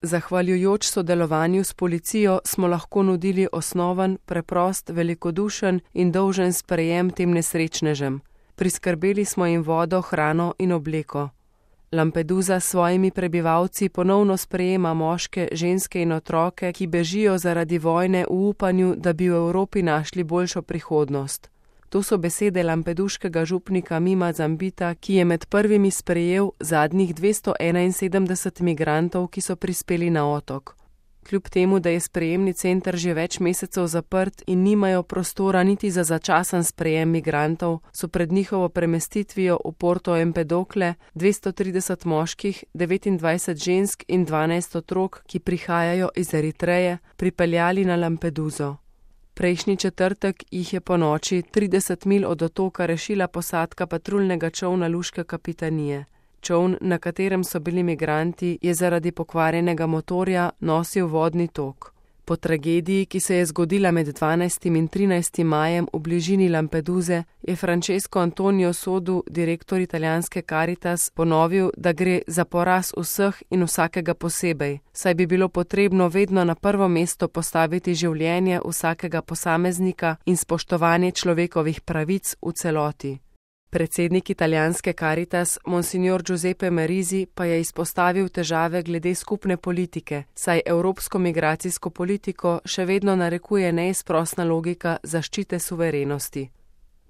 Zahvaljujoč sodelovanju s policijo smo lahko nudili osnoven, preprost, velikodušen in dolžen sprejem tem nesrečnežem. Priskrbeli smo jim vodo, hrano in obleko. Lampedusa s svojimi prebivalci ponovno sprejema moške, ženske in otroke, ki bežijo zaradi vojne v upanju, da bi v Evropi našli boljšo prihodnost. To so besede lampeduškega župnika Mima Zambita, ki je med prvimi sprejel zadnjih 271 migrantov, ki so prispeli na otok. Kljub temu, da je sprejemni center že več mesecev zaprt in nimajo prostora niti za začasen sprejem migrantov, so pred njihovo premestitvijo v Porto Empedocle 230 moških, 29 žensk in 12 otrok, ki prihajajo iz Eritreje, pripeljali na Lampeduso. Prejšnji četrtek jih je ponoči 30 milj od otoka rešila posadka patruljnega čolna luške kapitanije. Čoln, na katerem so bili migranti, je zaradi pokvarjenega motorja nosil vodni tok. Po tragediji, ki se je zgodila med 12. in 13. majem v bližini Lampeduse, je Francesco Antonio Sodu, direktor italijanske Caritas, ponovil, da gre za poraz vseh in vsakega posebej, saj bi bilo potrebno vedno na prvo mesto postaviti življenje vsakega posameznika in spoštovanje človekovih pravic v celoti. Predsednik italijanske Caritas, monsignor Giuseppe Merisi, pa je izpostavil težave glede skupne politike, saj evropsko migracijsko politiko še vedno narekuje neizprosna logika zaščite suverenosti.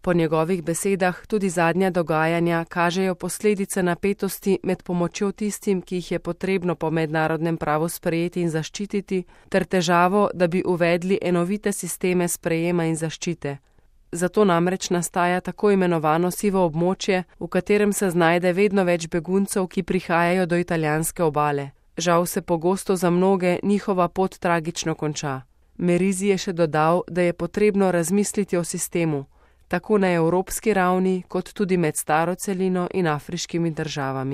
Po njegovih besedah tudi zadnja dogajanja kažejo posledice napetosti med pomočjo tistim, ki jih je potrebno po mednarodnem pravu sprejeti in zaščititi, ter težavo, da bi uvedli enovite sisteme sprejema in zaščite. Zato namreč nastaja tako imenovano sivo območje, v katerem se znajde vedno več beguncev, ki prihajajo do italijanske obale. Žal se pogosto za mnoge njihova pot tragično konča. Merisi je še dodal, da je potrebno razmisliti o sistemu, tako na evropski ravni, kot tudi med staro celino in afriškimi državami.